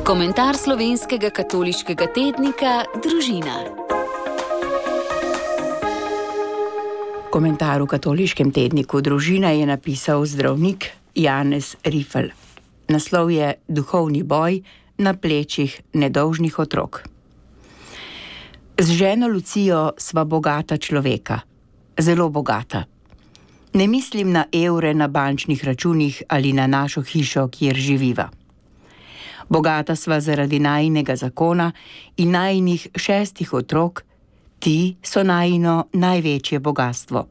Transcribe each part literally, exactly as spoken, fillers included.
Komentar slovenskega katoliškega tednika Družina. Komentar v katoliškem tedniku Družina je napisal zdravnik Janez Rifel. Naslov je Duhovni boj na plečih nedolžnih otrok. Z ženo Lucijo sva bogata človeka. Zelo bogata. Ne mislim na evre na bančnih računih ali na našo hišo, kjer živiva. Bogata sva zaradi najinega zakona in najinih šestih otrok, ti so najino največje bogatstvo.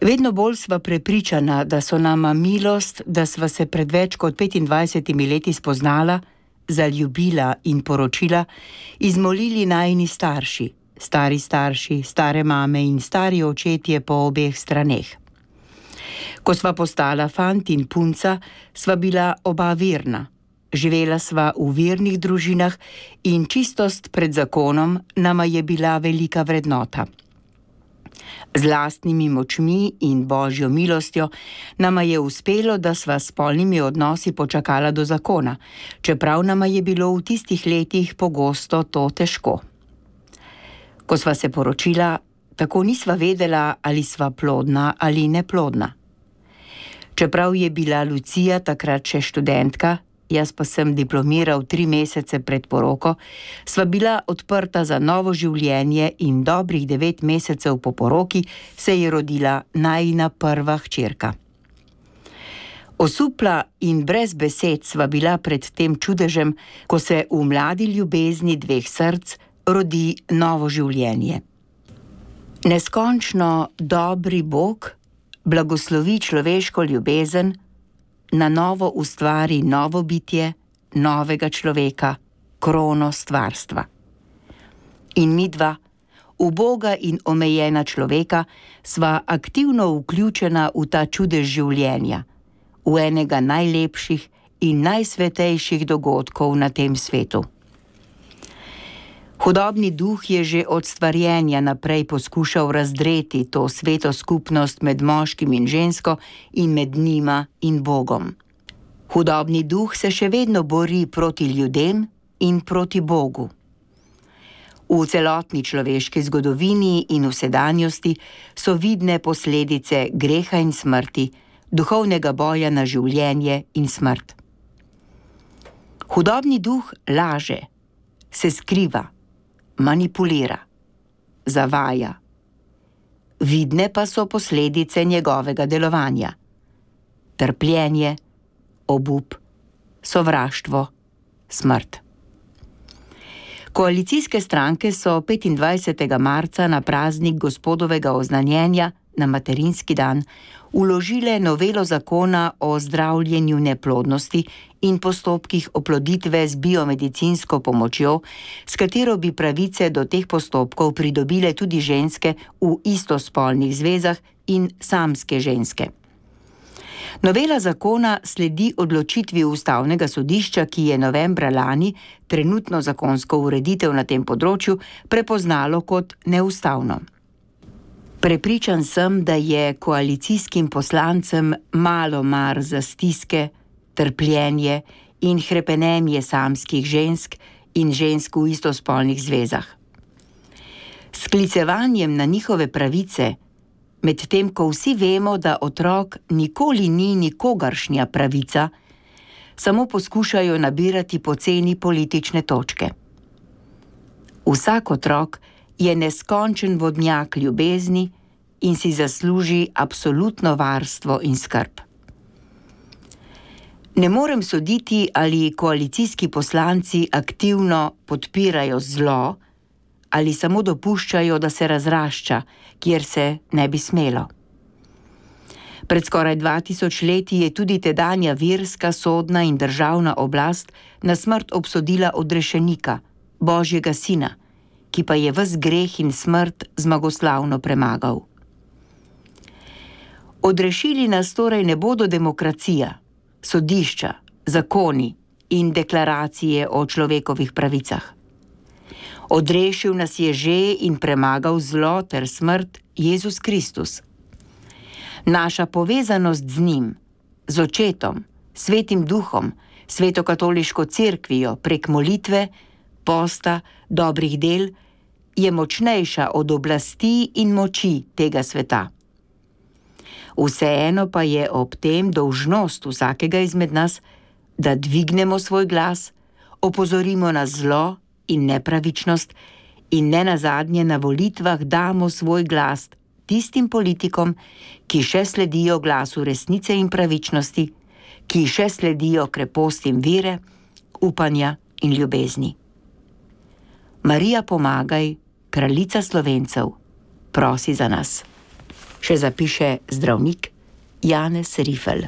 Vedno bolj sva prepričana, da so nama milost, da sva se pred več kot petindvajsetimi leti spoznala, zaljubila in poročila, izmolili najini starši, stari starši, stare mame in stari očetje po obeh straneh. Ko sva postala fant in punca, sva bila oba verna. Živela sva v vernih družinah in čistost pred zakonom nama je bila velika vrednota. Z lastnimi močmi in božjo milostjo nama je uspelo, da sva s spolnimi odnosi počakala do zakona, čeprav nama je bilo v tistih letih pogosto to težko. Ko sva se poročila, tako nisva vedela, ali sva plodna ali neplodna. Čeprav je bila Lucija takrat še študentka, jaz pa sem diplomiral tri mesece pred poroko, sva bila odprta za novo življenje in dobrih devet mesecev po poroki se je rodila najina prva hčerka. Osupla in brez besed sva bila pred tem čudežem, ko se v mladi ljubezni dveh src rodi novo življenje. Neskončno dobri Bog blagoslovi človeško ljubezen, na novo ustvari novo bitje, novega človeka, krono stvarstva. In midva, uboga in omejena človeka, sva aktivno vključena v ta čudež življenja, v enega najlepših in najsvetejših dogodkov na tem svetu. Hudobni duh je že od stvarjenja naprej poskušal razdreti to sveto skupnost med moškim in žensko in med njima in Bogom. Hudobni duh se še vedno bori proti ljudem in proti Bogu. V celotni človeški zgodovini in v sedanjosti so vidne posledice greha in smrti, duhovnega boja na življenje in smrt. Hudobni duh laže, se skriva, manipulira, zavaja. Vidne pa so posledice njegovega delovanja. Trpljenje, obup, sovraštvo, smrt. Koalicijske stranke so petindvajsetega marca na praznik Gospodovega oznanjenja, na materinski dan, vložile novelo zakona o zdravljenju neplodnosti in postopkih oploditve z biomedicinsko pomočjo, s katero bi pravice do teh postopkov pridobile tudi ženske v istospolnih zvezah in samske ženske. Novela zakona sledi odločitvi Ustavnega sodišča, ki je novembra lani trenutno zakonsko ureditev na tem področju prepoznalo kot neustavno. Prepričan sem, da je koalicijskim poslancem malo mar za stiske, trpljenje in hrepenenje samskih žensk in žensk v istospolnih zvezah. S sklicevanjem na njihove pravice, medtem ko vsi vemo, da otrok nikoli ni nikogaršnja pravica, samo poskušajo nabirati poceni politične točke. Vsak otrok je neskončen vodnjak ljubezni in si zasluži absolutno varstvo in skrb. Ne morem soditi, ali koalicijski poslanci aktivno podpirajo zlo ali samo dopuščajo, da se razrašča, kjer se ne bi smelo. Pred skoraj dva tisoč leti je tudi tedanja verska, sodna in državna oblast na smrt obsodila odrešenika, Božjega sina, ki pa je ves greh in smrt zmagoslavno premagal. Odrešili nas torej ne bodo demokracija, sodišča, zakoni in deklaracije o človekovih pravicah. Odrešil nas je že in premagal zlo ter smrt Jezus Kristus. Naša povezanost z njim, z očetom, svetim duhom, Svetokatoliško cerkvijo prek molitve, posta, dobrih del, je močnejša od oblasti in moči tega sveta. Vseeno pa je ob tem dolžnost vsakega izmed nas, da dvignemo svoj glas, opozorimo na zlo in nepravičnost in ne nazadnje na volitvah damo svoj glas tistim politikom, ki še sledijo glasu resnice in pravičnosti, ki še sledijo krepostim vere, upanja in ljubezni. Marija, pomagaj, kraljica Slovencev, prosi za nas. Še zapiše zdravnik Janez Rifel.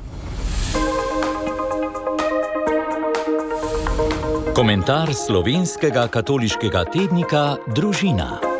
Komentar slovenskega katoliškega tednika Družina.